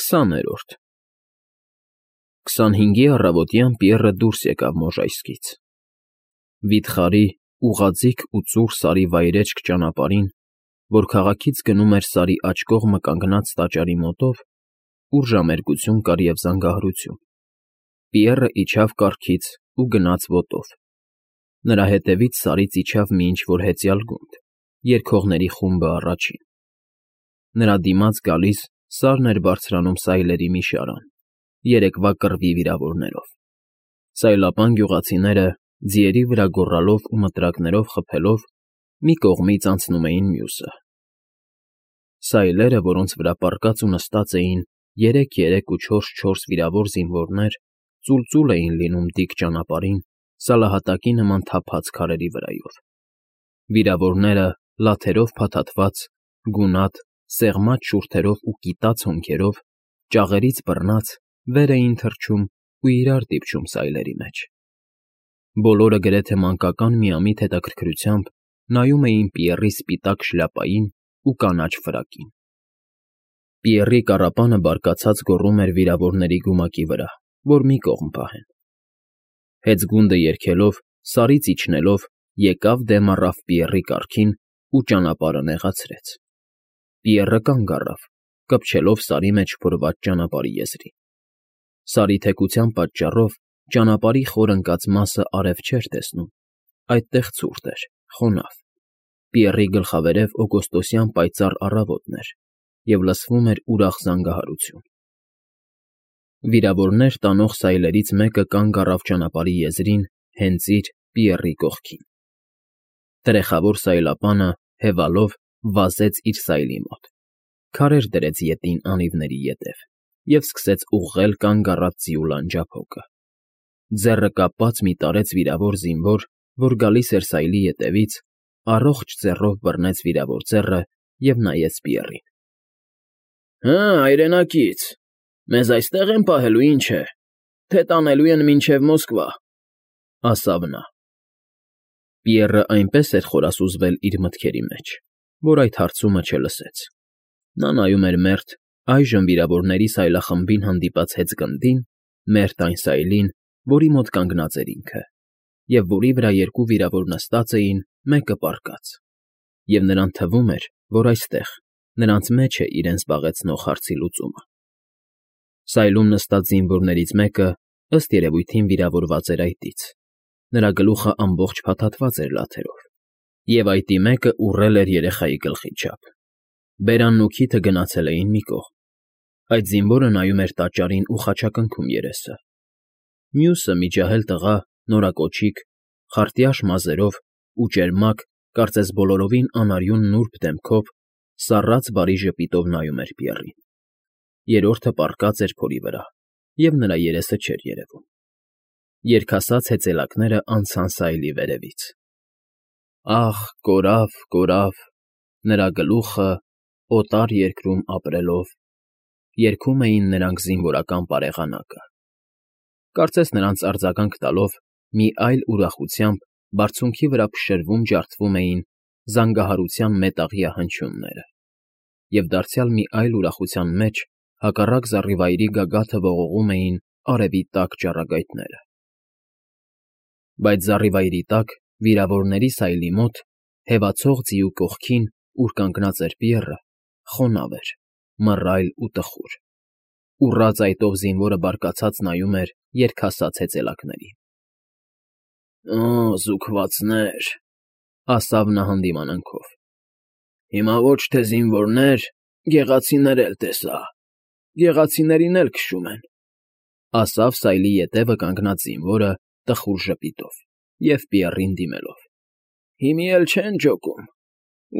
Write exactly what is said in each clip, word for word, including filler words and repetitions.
Քսաներորդ Քսանհինգի առավոտյան Պիեռը դուրս եկավ Մոժայսկից։ Վիթխարի, ուղղաձիգ ու ծուռ սարի վայրէջք ճանապարհին, որ քաղաքից գնում էր Սարի աջ կողմը կանգնած տաճարի մոտով, ուր ժամերկություն կար և զանգահարություն, Պիեռը իջավ կառքից ու գնաց ոտով. նրա հետևից Սարից իջավ մի ինչ֊որ հեծյալ գունդ, երգողների խումբը առաջին. նրա դիմաց գալիս Սարն էր բարձրանում սայլերի մի շարան, երեկվա կռվի վիրավորներով, սայլապան գյուղացիները, ձիերի վրա գոռալով ու մտրակներով խփելով, մի կողմից անցնում էին մյուսը. սայլերը, որոնց վրա պառկած ու նստած էին երեք֊երեք ու չորս֊չորս վիրավոր զինվորներ, ծուլծուլ էին լինում դիք ճանապարհին սալահատակի նման թափած քարերի վրայով, վիրավորները, լաթերով փաթաթված, գունատ, սեղմած շուրթերով ու կիտած հոնքերով, ճաղերից բռնած, վեր էին թռչում ու իրար դիպչում սայլերի մեջ. բոլորը գրեթե մանկական միամիտ հետաքրքրությամբ նայում էին Պիեռի սպիտակ շլյապային ու կանաչ ֆրակին. Պիեռի կառապանը բարկացած գոռում էր վիրավորների գումակի վրա, որ մի կողմ պահեն. հեծգունդը երգելով, Սարից իջնելով, եկավ դեմ առավ Պիեռի կառքին ու ճանապարհը նեղացրեց. Պիեռը կանգ առավ, կպչելով Սարի մեջ փորված ճանապարհի եզրին. Սարի թեքության պատճառով ճանապարհի խոր ընկած մասը արև չէր տեսնում, այդտեղ ցուրտ էր, խոնավ, Պիեռի գլխավերև օգոստոսյան պայծառ առավոտն էր, և լսվում էր ուրախ զանգահարություն. վիրավորներ տանող սայլերից մեկը կանգ առավ ճանապարհի եզրին հենց իր՝ Պիեռի կողքին. տրեխավոր սայլապանը, հևալով, վազեց իր սայլի մոտ, քարեր դրեց ետին անիվների ետև և սկսեց ուղղել կանգ առած ձիու լանջափոկը. ձեռը կապած մի տարեց վիրավոր զինվոր, որ գալիս էր սայլի ետևից, առողջ ձեռով բռնեց վիրավոր ձեռը և նայեց Պիեռին. Հը, հայրենակից, մեզ այստեղ են պահելու, ինչ է, թե տանելու են մինչև Մոսկվա, ասավ նա. Պիեռը այնպես էր խորասուզվել իր մտքերի մեջ, որ այդ հարցումը չլսեց. նա նայում էր մերթ, այժմ վիրավորների սայլախմբին հանդիպած հեծգնդին, մերթ այն սայլին, որի մոտ կանգնած էր ինքը, և որի վրա երկու վիրավոր նստած էին, մեկը պառկած, և նրան թվում էր, որ այստեղ, նրանց մեջ է իրեն զբաղեցնող հարցի լուծումը. Սայլում նստած զինվորներից մեկը, ըստ երևույթին, վիրավորված էր այտից, նրա գլուխը ամբողջ փաթաթված էր լաթերով, և այտի մեկը ուռել էր երեխայի գլխի չափ, բերանն ու քիթը գնացել էին մի կողմ, այդ զինվորը նայում էր տաճարին ու խաչակնքում երեսը, մյուսը մի ջահել տղա, նորակոչիկ, խարտյաշ մազերով ու ճերմակ, կարծես բոլորովին անարյուն նուրբ դեմքով, սառած բարի ժպիտով նայում էր Պիեռին, երրորդը պառկած էր փորի վրա, և նրա երեսը չէր երևում. երգասաց հեծյալակները անցան սայլի վերևից. Ախ, կորավ, կորավ, նրա գլուխը, օտար երկրում ապրելով, երգում էին նրանք զինվորական պարեղանակը, կարծես նրանց արձագանք տալով, մի այլ ուրախությամբ բարձունքի վրա փշրվում ջարդվում էին զանգահարության մետաղյա հնչյունները, և դարձյալ մի այլ ուրախության մեջ հակառակ զառիվայրի գագաթը ողողում էին արևի տաք ճառագայթները. Բայց զառիվայրի տակ, վիրավորների սայլի մոտ, հևացող ձիու կողքին, ուր կանգնած էր Պիեռը, խոնավ էր, մռայլ ու տխուր, ուռած այտով զինվորը բարկացած նայում էր երգասաց հեծյալակներին. Օ, զուքվածներ, ասավ նա հանդիմանանքով, հիմա ոչ թե զինվորներ, գեղացիներ էլ տեսա, գեղացիներին էլ քշում են, ասավ սայլի ետևը կանգնած զինվորը տխուր ժպիտով և Պիեռին դիմելով. Հիմի էլ չեն ջոկում,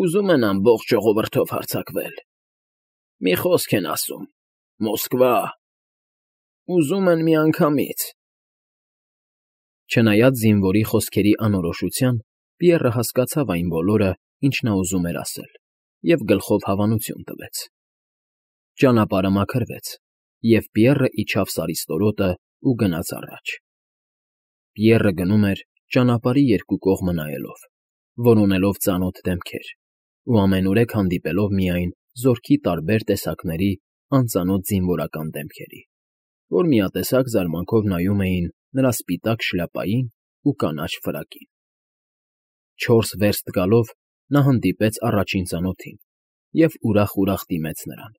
ուզում են ամբողջ ժողովրդով հարձակվել, մի խոսք են ասում, Մոսկվա, ուզում են միանգամից… Չնայած զինվորի խոսքերի անորոշության, Պիեռը հասկացավ այն բոլորը, ինչ նա ուզում էր ասել, և գլխով հավանություն տվեց. ճանապարհը մաքրվեց, և Պիեռը իջավ Սարի ստորոտն ու գնաց առաջ. Պիեռը գնում էր ճանապարհի երկու կողմը նայելով, որոնելով ծանոթ դեմքեր ու ամենուրեք հանդիպելով միայն զորքի տարբեր տեսակների անծանոթ զինվորական դեմքերի, որ միատեսակ զարմանքով նայում էին նրա սպիտակ շլյապային ու կանաչ ֆրակին։ Չորս վերստ գալով նա հանդիպեց առաջին ծանոթին և ուրախ֊ուրախ դիմեց նրան։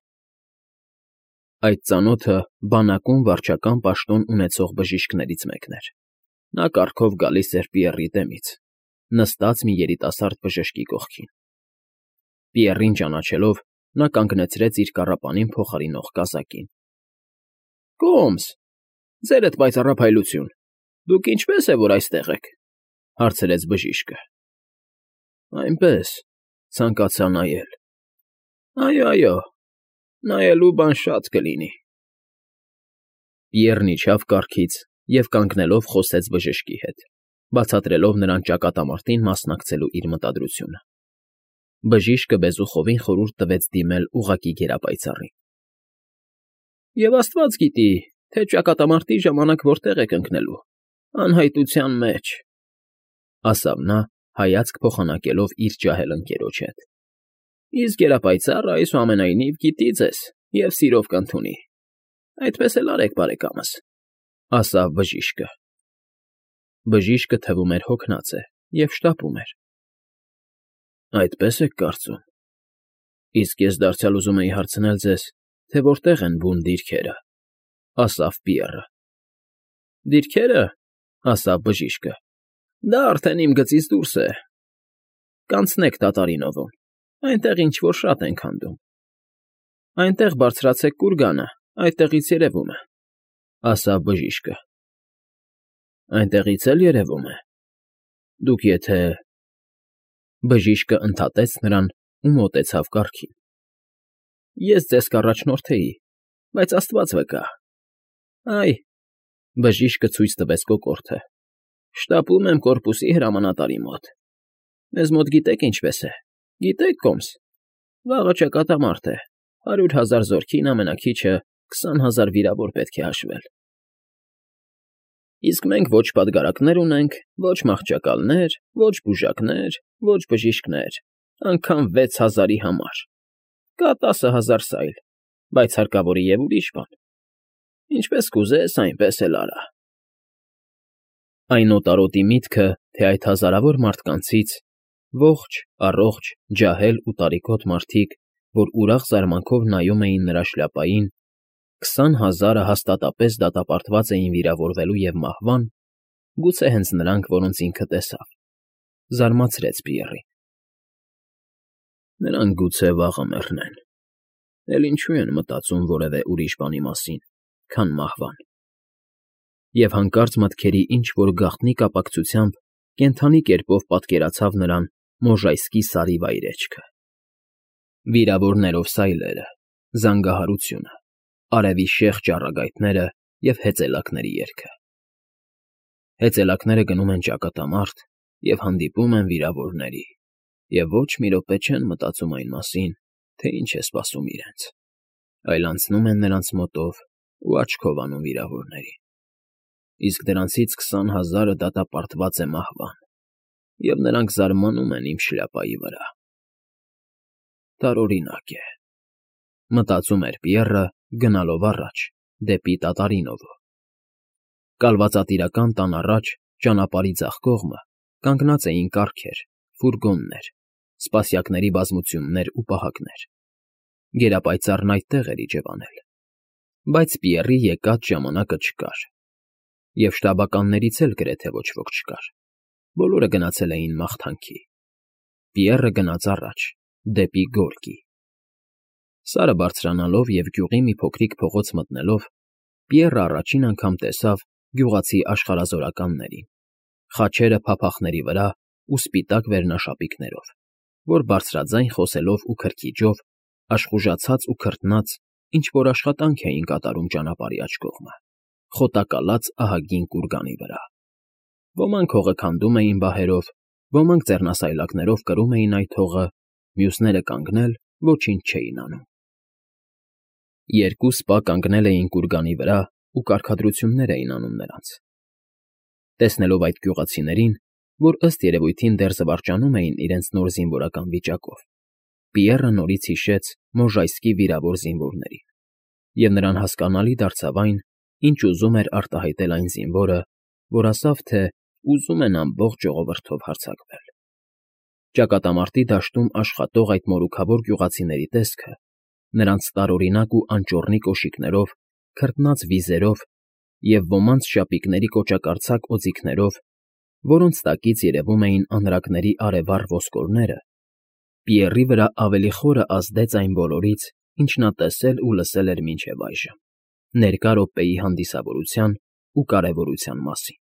Այդ ծանոթը բանակում վարչական պաշտոն ունեցող բժիշկներից մեկն էր։ Նա կառքով գալիս էր Պիեռի դեմից, նստած մի երիտասարդ բժշկի կողքին։ Պիեռին ճանաչելով, նա կանգնեցրեց իր կառապանին փոխարինող կազակին։ ֊ Կոմս, ձերդ պայծառափայլություն, դուք ինչպե՞ս է, որ այստեղ եք,֊ հարցրեց բժիշկը։ ֊ Այնպես, ցանկացա նայել։ ֊ Այո, այո, նայելու բան շատ կլինի։ Պիեռն իջավ կառքից և կանգնելով խոսեց բժշկի հետ, բացատրելով նրան ճակատամարտին մասնակցելու իր մտադրությունը։ Բժիշկը բեզուխովին խորհուրդ տվեց դիմել ուղղակի գերապայծառին։ ֊ Եվ աստված գիտի, թե ճակատամարտի ժամանակ որտեղ եք ընկնելու, անհայտության մեջ,֊ ասավ նա, հայացք փոխանակելով իր ջահել ընկերոջ հետ։ ֊ Իսկ գերապայծառը այսուամենայնիվ գիտի ձեզ և սիրով կընդունի։ Այդպես էլ արեք, բարեկամս,֊ ասավ բժիշկը։ Բժիշկը թվում էր հոգնած է և շտապում էր։ ֊ Այդպես եք կարծում։ Իսկ ես դարձյալ ուզում էի հարցնել ձեզ, թե որտեղ են բուն դիրքերը,֊ ասավ Պիեռը։ ֊ Դիրքերը,֊ ասավ բժիշկը,֊ դա արդեն իմ գծից դուրս է։ Կանցնեք Տատարինովում, այնտեղ ինչ֊որ շատ են քանդում։ Այնտեղ բարձրացեք կուրգանը, այդտեղից երևում է,֊ ասավ բժիշկը։ ֊ Այնտեղից էլ երևում է։ Դուք եթե… Բժիշկը ընդհատեց նրան ու մոտեցավ կառքին։ ֊ Ես ձեզ կառաջնորդեի, բայց աստված վկա… Այ,֊ բժիշկը ցույց տվեց կոկորդը,֊ շտապում եմ կորպուսի հրամանատարի մոտ։ Մեզ մոտ գիտեք ինչպես է, գիտե՞ք, Կոմս, վաղը ճակատամարտ է, հարյուր հազար զորքին ամենաքիչը քսան հազար վիրավոր պետք է հաշվել։ Իսկ մենք ոչ պատգարակներ ունենք, ոչ մահճակալներ, ոչ բուժակներ, ոչ բժիշկներ, անգամ վեց հազարի համար, կա տասը հազար սայլ, բայց հարկավոր է և ուրիշ բան։ Ինչպես կուզես, այնպես էլ արա։ Այն օտարոտի միտքը, թե այդ հազարավոր մարդկանցից ողջ, առողջ, ջահել ու տարիքոտ մարդիկ, որ ուրախ զարմանքով նայում էին նրա շլյապային, քսան հազարը հաստատապես դատապարտված էին վիրավորվելու և մահվան, գուցե հենց նրանք, որոնց ինքը տեսավ, զարմացրեց Պիեռին։ Նրանք գուցե վաղը մեռնեն, էլ ինչու են մտածում որևէ ուրիշ բանի մասին, քան մահվան։ Եվ հանկարծ մտքերի ինչ֊որ գաղտնի կապակցությամբ կենդանի կերպով պատկերացավ նրան Մոժայսկի Սարի վայրէջքը։ Վիրավորներով սայլերը, զանգահարությունը, արևի շեղ ճառագայթները և հեծելակների երգը։ Հեծելակները գնում են ճակատամարտ և հանդիպում են վիրավորների, և ոչ մի րոպե չեն մտածում այն մասին, թե ինչ է սպասում իրենց, այլ անցնում են նրանց մոտով ու աչքով անում վիրավորներին։ Իսկ դրանցից քսան հազարը դատապարտված է մահվան, և նրանք զարմանում են իմ շլյապայի վրա։ Տարօրինակ է,֊ մտածում էր Պիեռը, գնալով առաջ, դեպի Տատարինովը։ Կալվածատիրական տան առաջ, ճանապարհի ձախ կողմը, կանգնած էին կառքեր, ֆուրգոններ, սպասյակների բազմություններ ու պահակներ։ Գերապայծառն այդտեղ էր իջևանել։ Բայց Պիեռի եկած ժամանակը չկար, և շտաբականներից էլ գրեթե ոչ ոք չկար, բոլորը գնացել էին մաղթանքի։ Պիեռը գնաց առաջ, դեպի գորգի։ Սարը բարձրանալով և գյուղի մի փոքրիկ փողոց մտնելով, Պիեռը առաջին անգամ տեսավ գյուղացի աշխարհազորականներին, խաչերը փափախների վրա ու սպիտակ վերնաշապիկներով, որ բարձրաձայն խոսելով ու քրքիջով, աշխուժացած ու քրտնած, ինչ֊որ աշխատանք էին կատարում ճանապարհի աջ կողմը, խոտակալած ահագին կուրգանի վրա։ Ոմանք հողը քանդում էին բահերով, ոմանք ձեռնասայլակներով կրում էին այդ հողը, մյուսները կանգնել ոչինչ չէին անում։ Երկու սպա կանգնել էին կուրգանի վրա ու կարգադրություններ էին անում նրանց։ Տեսնելով այդ գյուղացիներին, որ ըստ երևույթին դեռ զվարճանում էին իրենց նոր զինվորական վիճակով, Պիեռը նորից հիշեց Մոժայսկի վիրավոր զինվորներին։ և նրան հասկանալի դարձավ այն, ինչ ուզում էր արտահայտել այն զինվորը, որ ասավ, թե ուզում են ամբողջ ժողովրդով հարձակվել։ Ճակատամարտի դաշտում աշխատող այդ մորուքավոր գյուղացիների տեսքը, նրանց տարօրինակ ու անճոռնի կոշիկներով, քրտնած վիզերով և ոմանց շապիկների կոճակարծակ օձիքներով, որոնց տակից երևում էին անրակների արևառ ոսկորները, Պիեռի վրա ավելի խորը ազդեց այն բոլորից, ինչ նա տեսել ու լսել էր մինչև այժմ, ներկա րոպեի հանդիսավորության ու կարևորության մասին։